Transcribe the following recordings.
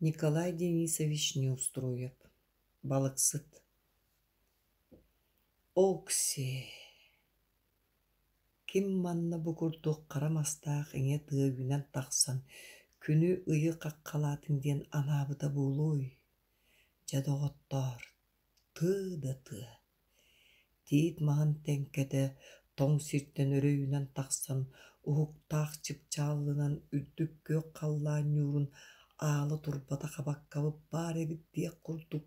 Николай Денисович Неустроев, балыксыт. Окси, ким манна бу курдук хара мастаах ийэ тыа үүнэн тахсан күнү-ыйы хаххалаатын диэн анаабыта буолуой? Дьэ, доҕоттоор, тыа да тыа. Тиит маһын тэҥкэтэ тоҥ сиртэн өрө үүнэн тахсан, уһуктаах чыпчаалынан үрдүк күөх халлаан ньуурун аала турбата хабаккабыт баар эбит диэх курдук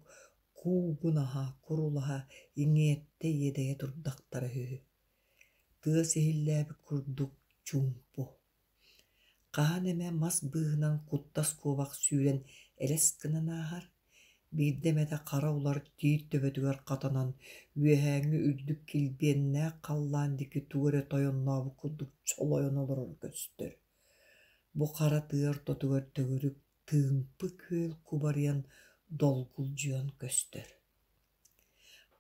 куугунаһа, курулаһа, иҥиэттэ иэдэйэ турдахтара үһү. Тыас иһиллээбит курдук чуумпу. Хаһан эмэ мас быыһынан куттас куобах сүүрэн элэс гынан ааһар, биирдэ эмэтэ хара улар тиит төбөтүгэр хатанан, үөһээҥҥи үрдүк килбиэннээх халлаан диэки тугу эрэ тойоннообут курдук чолойон олороро көстөр. Бу хара тыа ортотугар төгүрүк тыымпы күөл кубарыйан долгулдьуйан көстөр.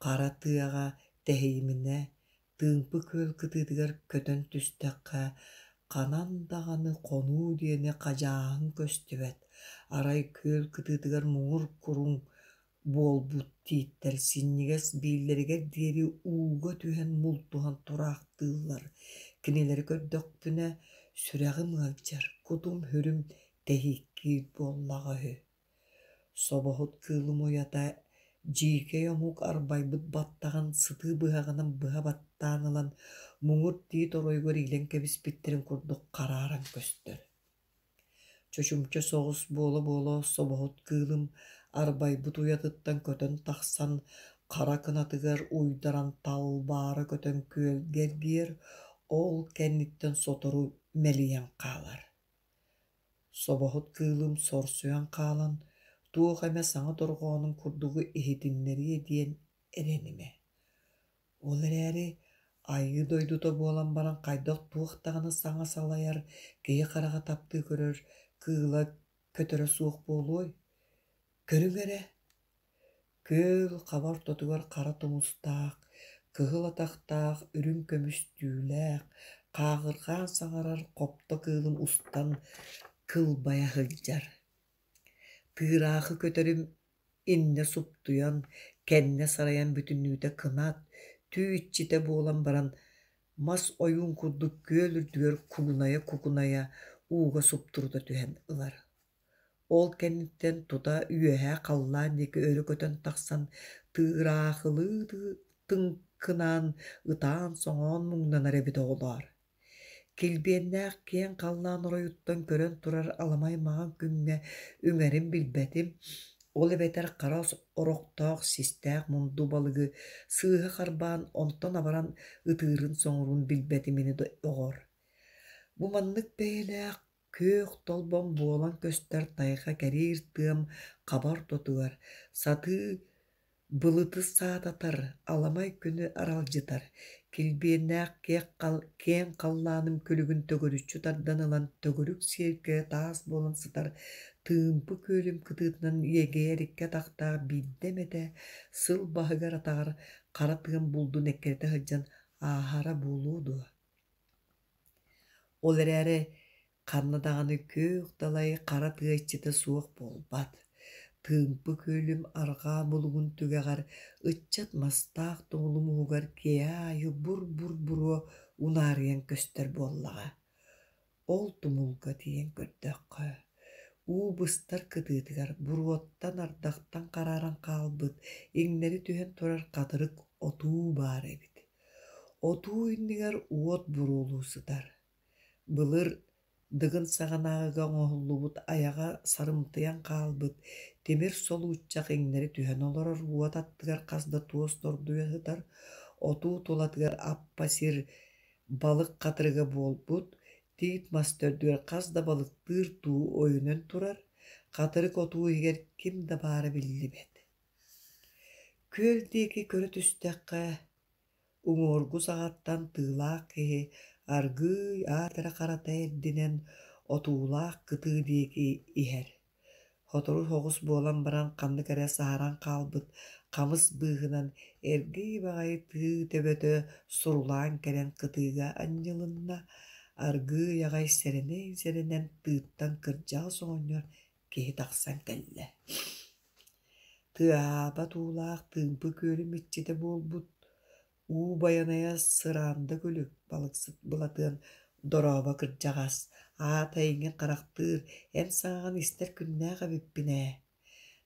Хара тыаҕа тэһийиминэ, Тыымпы күөл кытыытыгар көтөн түстэххэ, ханан даҕаны хонуу диэни хадьааһын көстүбэт, арай күөл кытыытыгар муҥур куруҥ буолбут тииттэр синньигэс бииллэригэр диэри ууга түһэн мултуһан тураахтыыллар. Кинилэри көрдөхпүнэ, сүрэҕим ыалдьар, кутум-сүрүм тэһииккиир буоллаҕа үһү. Собоһут кыылым уйата дьиикэй омук арбайбыт баттаҕын сытыы быһаҕынан быһа баттаан ылан, муҥур тиит оройугар иилэн кэбиспиттэрин курдук харааран көстөр. Чочумча соҕус буола-буола собоһут кыылым арбайбыт уйатыттан көтөн тахсан, хара кынатыгар уйдаран талбаара көтөн күөлгэ эргийэр, ол кэнниттэн сотору мэлийэн хаалар. Собоһут кыылым сорсуйан хаалан, туох эмэ саҥа дорҕоонун курдугу иһитиннэриэ диэн эрэнимэ. Ол эрээри айыы дойдута буолан баран хайдах туох даҕаны саҥа салайар, киһи хараҕа таптыы көрөр кыыла көтөрө суох буолуой? Көрүҥ эрэ, күөл хаба ортотугар хара тумустаах, кыһыл атахтаах, үрүҥ көмүс түүлээх, хааҕырҕаан саҥарар хопто кыылым устан кылбайа сылдьар. Тыыраахы көтөрүм иннэ суптуйан, кэннэ сарайан бүтүннүүтэ кынат, түү иччитэ буолан баран, мас ойуун курдук күөл үрдүгэр кугунайа-кугунайа ууга суптурута түһэн ылар. Ол кэнниттэн тута үөһээ халлаан диэки өрө көтөн тахсан тыыраахылыы тыҥкынаан, ытаан-соҥоон муҥнанар эбит оҕолоор. Килбиэннээх киэҥ халлаан оройуттан көрөн турар аламай маҥан күҥҥэ үҥэрин билбэтим, ол эбэтэр хара орохтоох систээх мунду балыгы сыыһа харбаан онтон абаран ытыырын-соҥуурун билбэтим ини доҕор. Бу маннык бэйэлээх күөх толбон буолан көстөр тайҕа кэриир тыам хаба ортотугар сатыы былыты саататар, аламай күнү аралдьытар, килбиэннээх киэҥ халлааным күлүгүн төгүрүччү тардан ылан төгүрүк сиэркилэ таас буолан сытар тыымпы күөлүм кытыытынан иэгэйэр икки атахтаах биирдэ эмэтэ сыл баһыгар-атаҕар хара тыам булдун эккирэтэ сылдьан ааһара буолуо дуо? Ол эрээри ханна даҕаны күөх далай хара тыа иччитэ суох буолбат. Тыымпы күөлүм арҕаа булугун түгэҕэр ыччат мастаах тумулум уһугар киэһэ аайы бур-бур буруо унаарыйан көстөр буоллаҕа. Ол тумулга тиийэн көрдөххө, уу быстар кытыытыгар буруоттан ардахтан харааран хаалбыт, иҥнэри түһэн турар хатырык отуу баар эбит. Отуу иннигэр уот буруолуу сытар. Былыр Дыгын саҕанааҕыга оҥоһуллубут айаҕа сарымтыйан хаалбыт тимир солууччах иҥнэри түһэн олорор уот аттыгар хас да туос тордуйа сытар, отуу тулатыгар аппа сир балык хатырыга буолбут, тиит мас төрдүгэр хас да балыктыыр туу ойунан турар, хатырык отуу иһигэр ким да баара биллибэт. Күөл диэки көрө түстэххэ, уҥуоргу саҕаттан тыылаах киһи аргыый аат эрэ харата эрдинэн отуулаах кытыы диэки иһэр. Сотору соҕус буолан баран ханнык эрэ саһаран хаалбыт хамыс быыһынан эргий баҕайы тыы төбөтө сурулаан кэлэн кытыыга анньылынна, аргыый аҕай сэрэнэн-сэрэнэн тыыттан кырдьаҕас оҕонньор киһи тахсан кэллэ. Тыаһаабат уулаах тыымпы күөлүм иччитэ буолбут уу байанайа сыраанда күлүк балыксыт Былатыан дорообо кырдьаҕас, аата эйигин харахтыыр, эн саҥаҕын истэр күннээх эбиппин ээ.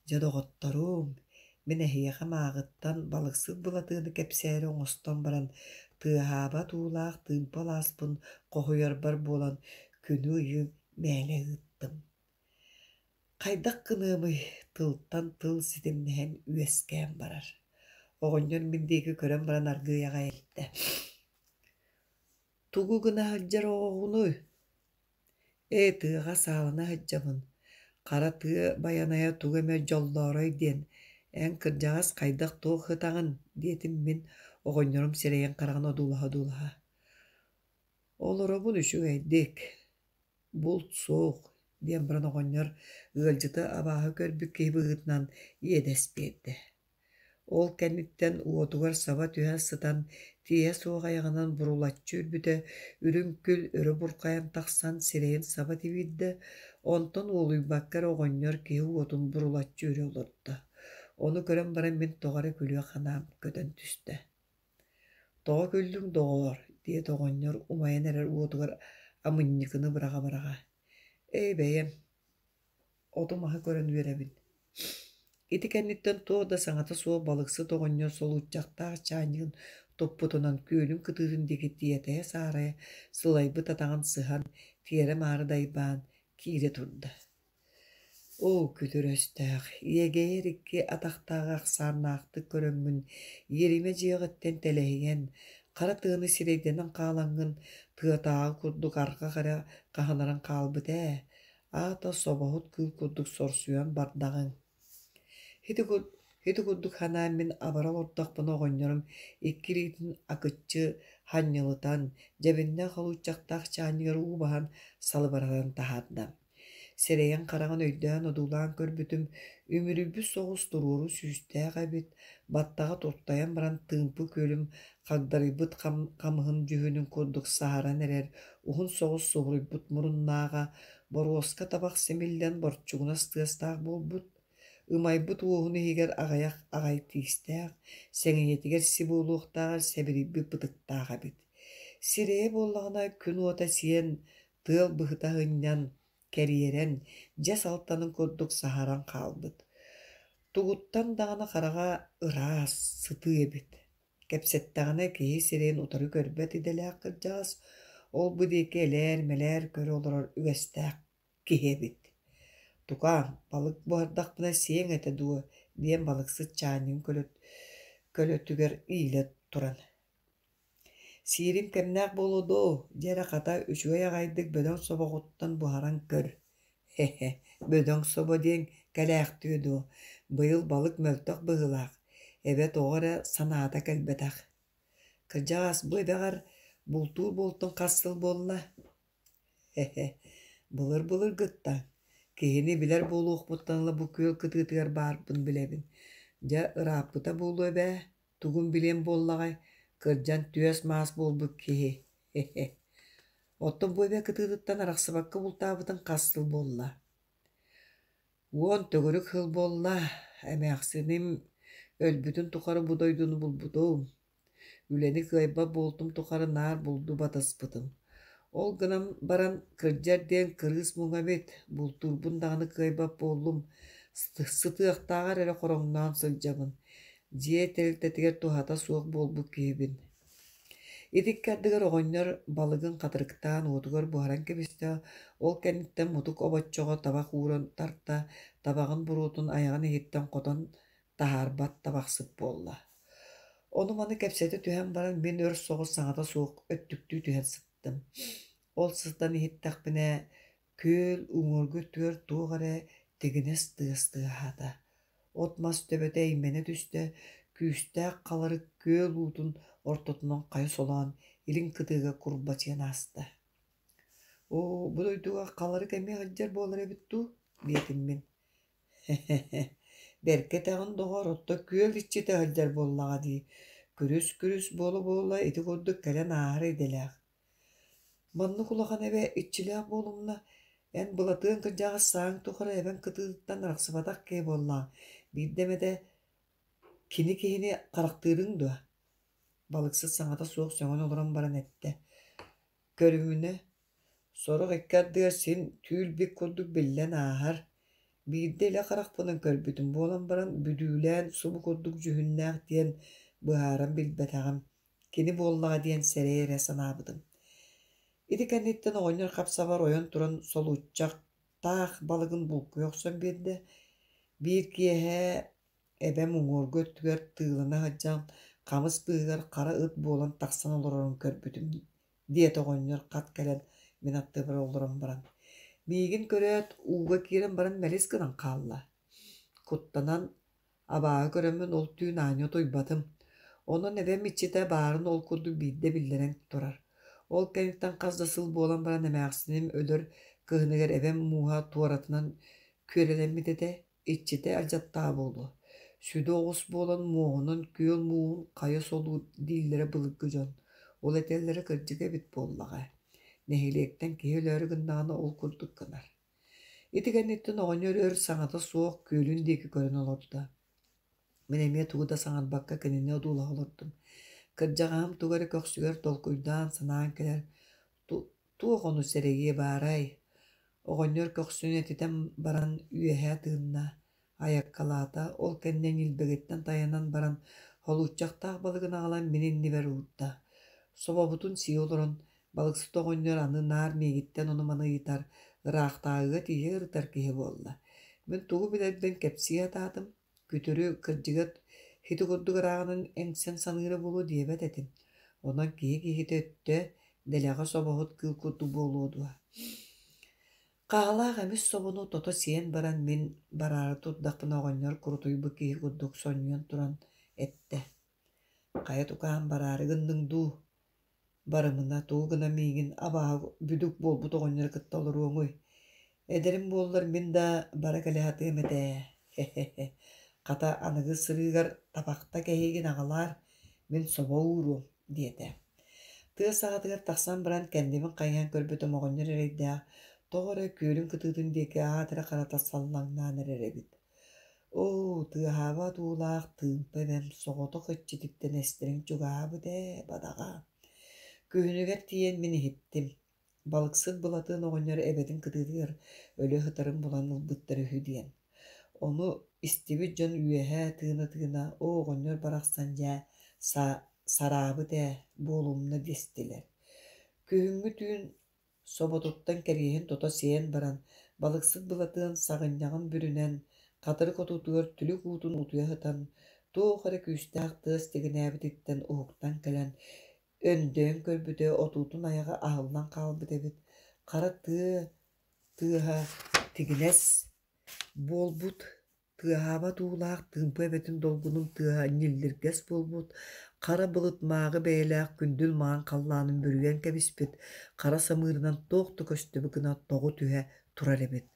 Дьэ, доҕотторуом, мин эһиэхэ мааҕыттан балыксыт Былатыаны кэпсээри оҥостон баран, тыаһаабат уулаах тыымпы алааспын хоһуйарбар буолан күнү-ыйы мээлэ ыыттым. Хайдах гыныамый, тылтан тыл ситимнэһэн үөскээн барар. Оҕонньор мин диэки көрөн баран аргыый аҕай эттэ: «Тугу гына сылдьар оҕоҕунуй?» «Ээ, тыаҕа саалана сылдьабын, хара тыа байанайа тугу эмэ дьоллоорой диэн, эн кырдьаҕас хайдах туох ытаҕын?» диэтим мин оҕонньорум сирэйин-хараҕын одуулаһа-одуулаһа. «Олоробун үчүгэйдик, булт суох» диэн баран оҕонньор ыалдьыты абааһы көрбүт киһи быһыытынан иэдэс биэрдэ. Ол кэнниттэн уотугар саба түһэ сытан тииһэ суох айаҕынан бурулаччы үрбүтэ, үрүҥ күл өрө бурхайан тахсан сирэйин саба тибиирдэ, онтон уолуйбакка эрэ оҕонньор киһи уотун бурулаччы үрэ олордо. Ону көрөн баран мин тоҕо эрэ күлүөх санаам көтөн түстэ. «Тоҕо күллүҥ, доҕоор?» диэтэ оҕонньор умайан эрэр уотугар амынньыкыны быраҕа-быраҕа. «Ээ, бэйэм, оту-маһы көрөн үөрэбин». Ити кэнниттэн туох да саҥата суох балыксыт оҕонньор солуурчахтаах чаанньыгын туппутунан күөлүн кытыытын диэки тиэтэйэ-саарайа сылайбыт атаҕын сыһан, тиэрэ-маары дайбаан киирэ турда. Оо, күтүр өстөөх, иэгэйэр икки атахтааҕы ахсааннаахтык көрөммүн, иэримэ дьиэҕиттэн тэлэһийэн, хара тыаны сирэйдэнэн хаалаҥҥын, тыатааҕы курдук арҕах эрэ хаһынаран хаалбыт ээ, аата собоһут кыыл курдук сорсуйан бардаҕыҥ. Ити, ити курдук санаан мин абара олордохпуна оҕонньорум икки илиитин акыччы ханньылытан, дьэбиннээх холуочахтаах чаанньыгар уу баһан салыбыратан таһаарда. Сирэйин-хараҕын өйдөөн одуулаан көрбүтүм, үмүрүйбүт соҕус туруору сүүстээх эбит, баттаҕа туртайан баран тыымпы күөлүм хагдарыйбыт хамыһын дьүһүнүн курдук саһаран эрэр уһун соҕус субуруйбут муруннааҕа, боруоска табах симиллэн борчугунас тыастаах буолбут, ымайбыт уоһун иһигэр аҕыйах аҕай тиистээх, сэҥийэтигэр си буолуохтааҕар сэбирийбит бытыктаах эбит. Сирэйэ буоллаҕына күн уота сиэн тыал быһыта сынньан, кэриэрэн, дьэс алтанын курдук саһаран хаалбыт. Тугуттан даҕаны хараҕа ыраас, сытыы эбит. Кэпсэттэҕинэ киһи сирэйин утары көрбөт идэлээх кырдьаҕас, ол-бу диэки элээр-мэлээр көрө олорор үгэстээх киһи эбит. «Тукаам, балык буһардахпына сиэҥ этэ дуо?» диэн балыксыт чаанньыгын көлөтүгэр иилэ туран «Сиирим кэмнээх буолуо дуо, дьэ эрэ хата үчүгэй аҕайдык бөдөҥ собоҕуттан буһаран көр, һэ-һэ, бөдөҥ собо диэн кэлээхтиэ дуо, быйыл балык мөлтөх быһыылаах, эбэ тоҕо эрэ санаата кэлбэтэх. Кырдьаҕас, бу эбэҕэр бултуур буолтуҥ хас сыл буолла?» Һэ-һэ, былыр-былыргыттан, киһини билэр буолуохпуттан ыла бу күөл кытыытыгар баарбын билэбин. Дьэ, ырааппыта буолуо эбээ, тугун билиэм буоллаҕай, кырдьан түөс-маас буолбут киһи, һэ-һэ. Оттон бу эбэ кытыытыттан арахсыбакка бултаабытыҥ хас сыл буолла? Уон төгүрүк сыл буолла, эмээхсиним өлбүтүн тухары бу дойдуну булбутум. Үлэни кыайбат буолтум тухары наар булду батыспытым. Ол гынан баран кырдьар диэн кырыыс муҥа эбит, бултуурбун даҕаны кыайбат буоллум, сытыахтааҕар эрэ хороҥноон сылдьабын. Дьиэ тэрилтэтигэр туһата суох буолбут киһибин. Ити икки ардыгар оҕонньор балыгын хатырыктаан уотугар буһаран кэбистэ, ол кэнниттэн мутук обоччоҕо табах ууран тарта, табаҕын буруотун айаҕын иһиттэн хотон таһаарбат табахсыт буолла. Ону-маны кэпсэтэ түһэн баран мин өр соҕус саҥата суох өттүктүү түһэн сыттым. Ол сытан иһиттэхпинэ, күөл уҥуоргу өттүгэр туох эрэ тигинэс тыас тыаһаата. От-мас төбөтө эймэнэ түстэ, күүстээх халарык күөл уутун ортотунан хайа солоон илин кытыыга курбачыйан ааста. «Оо, бу дойдуга халарык эмиэ сылдьар буолар эбит дуу?» диэтим мин. Һэ-һэ, бэркэ этэҕин, доҕоор, оттон күөл иччитэ сылдьар буоллаҕа дии, күрүс-күрүс буола-буола ити курдук кэлэн ааһар идэлээх. Маннык улахан эбэ иччилээх буолумна, Эн Былатыан кырдьаҕас сааһыҥ тухары эбэҥ кытыытыттан арахсыбатах киһи буоллаҕыҥ, биирдэ эмэтэ кини киһини харахтыырыҥ дуо?» Балыксыт саҥата суох сөҥөн олорон баран эттэ: «Көрүмүнэ, сорох икки ардыгар син түүл-бит курдук биллэн ааһар. Биирдэ илэ харахпынан көрбүтүм буолан баран, бүдүүлээн субу курдук дьүһүннээх диэн быһааран билбэтэҕим, кини буоллаҕа диэн сэрэйэ эрэ санаабытым». Ити кэнниттэн оҕонньор хап-сабар ойон туран солууччахтаах балыгын булкуйа охсон биэрдэ. Биир киэһэ эбэм уҥуоргу өттүгэр тыылана сылдьан хамыс быыһыгар хара ыт буолан тахсан олорорун көрбүтүм, диэтэ оҕонньор хат кэлэн мин аттыбар олорон баран. Миигин көрөөт, ууга киирэн баран мэлис гынан хаалла. Куттанан, абааһы көрөммүн ол түүн аанньа утуйбатым. Онон эбэм иччитэ баарын ол курдук биирдэ биллэрэн турар. Ол кэнниттэн хас да сыл буолан баран эмээхсиним өлөр кыһыныгар эбэм мууһа туоратынан күөрэлэммит этэ, иччитэ алдьаттаҕа буолуо. Сүдү оҕус буолан муоһунан күөл мууһун хайа солуур дииллэрэ былыргы дьон. Ол этэллэрэ кырдьык эбит буоллаҕа. Нэһилиэктэн киһи өлөөрү гыннаҕына ол курдук гынар. Ити кэнниттэн оҕонньор өр саҥата суох күөлүн диэки көрөн олордо. Мин эмиэ тугу да саҥарбакка кинини одуулаһа олордум. Кырдьаҕаһым тугу эрэ көхсүгэр толкуйдаан санаан кэлэр, туох ону сэрэйиэ баарай? Оҕонньор көхсүн этитэн баран үөһэ тыынна, айаккалаата, ол кэннэ ньилбэгиттэн тайанан баран холууччахтаах балыгын аҕалан мин иннибэр уурда. Собобутун сии олорон, балыксыт оҕонньор аны наар миигиттэн ону-маны ыйытар, ыраахтааҕыга тиийэ ырытар киһи буолла. Мин тугу билэрбин кэпсии сатаатым, күтүрү кырдьыга ити курдук ырааҕынан эҥсэн саныыра буолуо диэбэт этим. Онон киһи киһитэ өттө, дэлэҕэ собоһут кыыл курдук буолуо дуо? Хаалаах эмис собону тото сиэн баран мин бараары турдахпына оҕонньор курутуйбут киһи курдук сонньуйан туран эттэ: «Хайа тукаам бараары гынныҥ дуу? Барымына, тугу гына миигин абааһы бүдүк буолбут оҕонньору кытта олоруоҥуй? Эдэрим буоллар мин да бара кэлэ сатыам этэ ээ, хе-хе-хе. Хата аныгы сырыыгар табахта кэһиигин аҕалаар, мин собо ууруом» диэтэ. Тыа саҕатыгар тахсан баран кэннибин хайыһан көрбүтүм оҕонньор эрэйдээх тоҕо эрэ күөлүн кытыытын диэки аат эрэ харата саллаҥнаан эрэр эбит. Оо, тыаһаабат уулаах тыымпы эбэм соҕотох иччититтэн эстэриҥ чугаһаабыт ээ, бадаҕа. Күһүнүгэр тиийэн мин иһиттим. Балыксыт Былатыан оҕонньор эбэтин кытыытыгар өлө сытарын булан ылбыттар үһү диэн. Ону истибит дьон үөһэ тыына-тыына «Оо, оҕонньор барахсан дьээ, сараабыт ээ, буолумна» дэстилэр. Күһүҥҥү түүн соботуттан кэриэһин тото сиэн баран, балыксыт Былатыан саҕынньаҕын бүрүнэн, хатырык отуутугар түлүк уутун утуйа сытан, туох эрэ күүстээх тыас тигинээбититтэн уһуктан кэлэн, өндөйөн көрбүтэ отуутун айаҕа аһыллан хаалбыт эбит, хара тыа тыаһа тигинэс буолбут, тыаһаабат уулаах тыымпы эбэтин долгунун тыаһа ньиллиргэс буолбут, хара былыт мааҕы бэйэлээх күндүл маҥан халлаанын бүрүйэн кэбиспит, хара самыырынан туох да көстүбүт гына тоҕу түһэ турар эбит.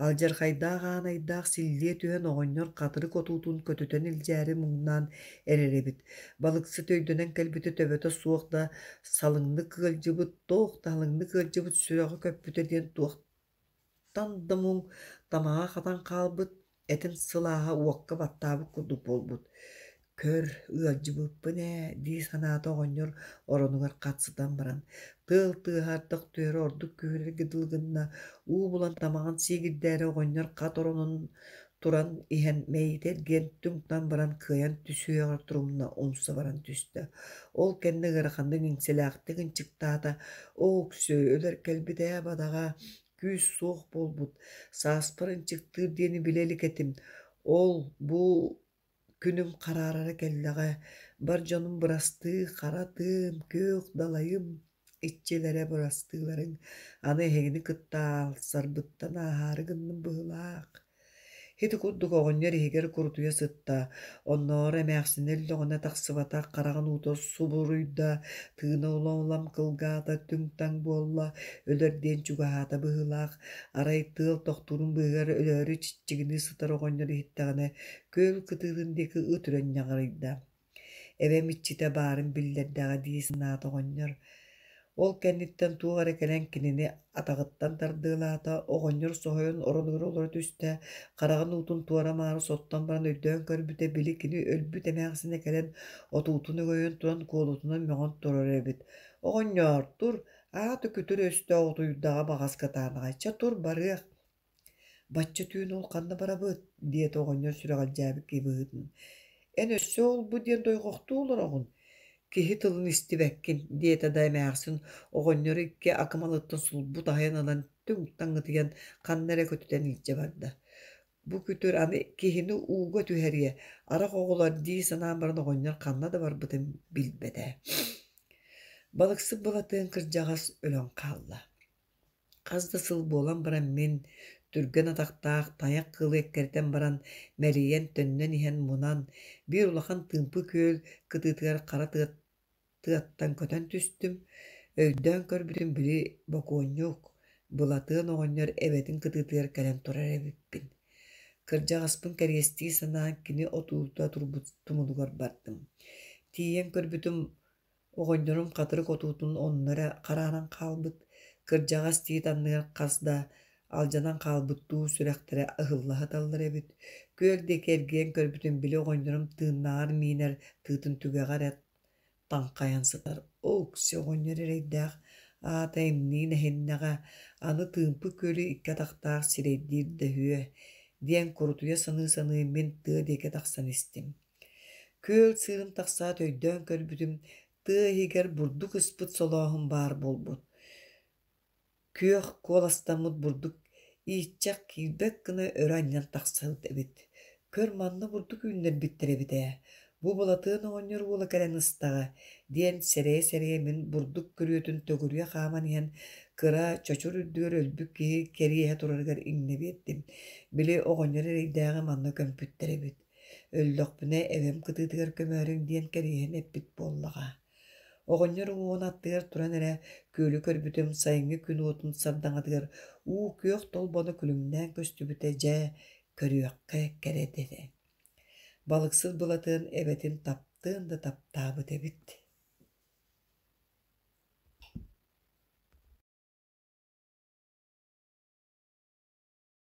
Алдьархайдаах аанайдаах силлиэ түһэн оҕонньор хатырык отуутун көтүтэн илдьээри муҥнаан эрэр эбит. Балыксыт өйдөнөн кэлбитэ төбөтө суох да салыҥнык ыалдьыбыт, туох да халыҥнык ыалдьыбыт сүрэҕэ көппүтэ диэн туохтан да муҥ тамаҕа хатан хаалбыт, этин сылааһа уокка баттаабыт курдук буолбут. Көр, ыалдьыбыппын ээ дии санаата оҕонньор оронугар хат сытан баран, тыал тыаһа ардах түһэрэ ордук күүһүрэргэ дылы гынна, уу булан тамаҕын сиигирдээри оҕонньор хат оронун туран иһэн мэйиитэ эргийэн түҥ-таҥ баран кыайан түсүөҕэр турумна умса баран түстэ. Ол кэннэ ыараханнык иҥсэлээхтик ынчыктаата: «Оо, Өксөө, өлөр кэлбит ээ бадаҕа, күүс суох буолбут, сааспар ынчыктыыр диэни билэ илик этим, ол бу күнүм хараарара кэллэҕэ, бар дьонум бырастыы, хара тыам, күөх далайым иччилэрэ бырастыыларыҥ, аны эһигини кытта аалсарбыттан ааһаары гынным быһыылаах. Ити курдук оҕонньор иһигэр курутуйа сытта, оннооҕор эмээхсинэ өллөҕүнэ тахсыбатах хараҕын уута субуруйда, тыына улам-улам кылгаата, түҥ-таҥ буолла, өлөр диэн чугаһаата быһыылаах. Арай тыал тохтуурун быыһыгар өлөөрү чиччигинии сытар оҕонньор иһиттэҕинэ, күөл кытыытын диэки ыт үрэн ньаҕарыйда. Эбэм иччитэ баарын биллэрдэҕэ дии санаата оҕонньор. Ол кэнниттэн туох эрэ кэлэн кинини атаҕыттан тардыалаата, оҕонньор соһуйан оронугар олоро түстэ, хараҕын уутун туора-маары соттон баран өйдөөн көрбүтэ, били кини өлбүт эмээхсинэ кэлэн отуутун өҥөйөн туран куолутунан мөҕөн турар эбит: «Оҕонньоор, тур, аата күтүр өстөөх утуйдаҕа баҕас кытаанаҕай, чэ тур, барыах» «Бачча түүн ол ханна барабыт?» диэтэ оҕонньор сүрэҕэлдьээбит киһи быһыытынан. «Эн өссө ол-бу диэн дойҕохтуу олороҕун, киһи тылын истибэккин» диэтэ да эмээхсин оҕонньору икки акымалыттан сулбу таһыйан ылан түҥ-таҥ ытыйан ханна эрэ көтүтэн илдьэ барда. Бу күтүр аны киһини ууга түһэриэ, арах оҕолор дии санаан баран оҕонньор ханна да барбытын билбэтэ. Балыксыт Былатыан кырдьаҕас өлөн хаалла. Хас да сыл буолан баран мин, түргэн атахтаах тайах кыылы эккирэтэн баран, мэлийэн төннөн иһэн мунан, биир улахан тыымпы күөл кытыытыгар хара тыаттан көтөн түстүм. Өйдөөн көрбүтүм били бокуонньук, Былатыан оҕонньор эбэтин кытыытыгар кэлэн турар эбиппин. Кырдьаҕаспын кэриэстии санаан кини отуута турбут тумулугар бардым. Тиийэн көрбүтүм Оҕонньорум хатырык отуутун онно эрэ харааран хаалбыт, кырдьаҕас тиит анныгар хас да алдьанан хаалбыт дуу сүрэхтэрэ ыһылла сыталлар эбит. Күөл диэки эргийэн көрбүтүм били оҕонньорум тыыннааҕар миинэр тыытын түгэҕэ эрэ таҥхайан сытар. Оокси оҕонньор эрэйдээх аата имниин эһиннэҕэ, аны тыымпы күөлү икки атахтаах сирэйдиир да үһүө диэн курутуйа саныы-саныы мин тыа диэки тахсан истим. Күөл сыырын тахсаат өйдөөн көрбүтүм, тыа иһигэр бурдук ыспыт солооһун баар буолбут. Күөх куоластаммыт бурдук ииччэх киирбэт гына өрө анньан тахсыбыт эбит. Көр, манна бурдук үүннэрбиттэр эбит ээ, бу Былатыан оҕонньор уола кэлэн ыстаҕа, диэн сэрэйэ-сэрэйэ мин бурдук күрүөтүн төгүрүйэ хааман иһэн кыра чочур үрдүгэр өлбүт киһи кэриэһэ турарыгар иҥнэ биэрдим. Били оҕонньор эрэйдээҕи манна көмпүттэр эбит. Өллөхпүнэ эбэм кытыытыгар көмөөрүҥ диэн кэриэһин эппит буоллаҕа. Оҕонньор уҥуоҕун аттыгар туран эрэ күөлү көрбүтүм сайыҥҥы күн уотун сардаҥатыгар уу күөх толбоно күлүмнээн көстүбүтэ дьэ, көрүөххэ кэрэ этэ. Балыксыт Былатыан эбэтин таптыан да таптаабыт эбит.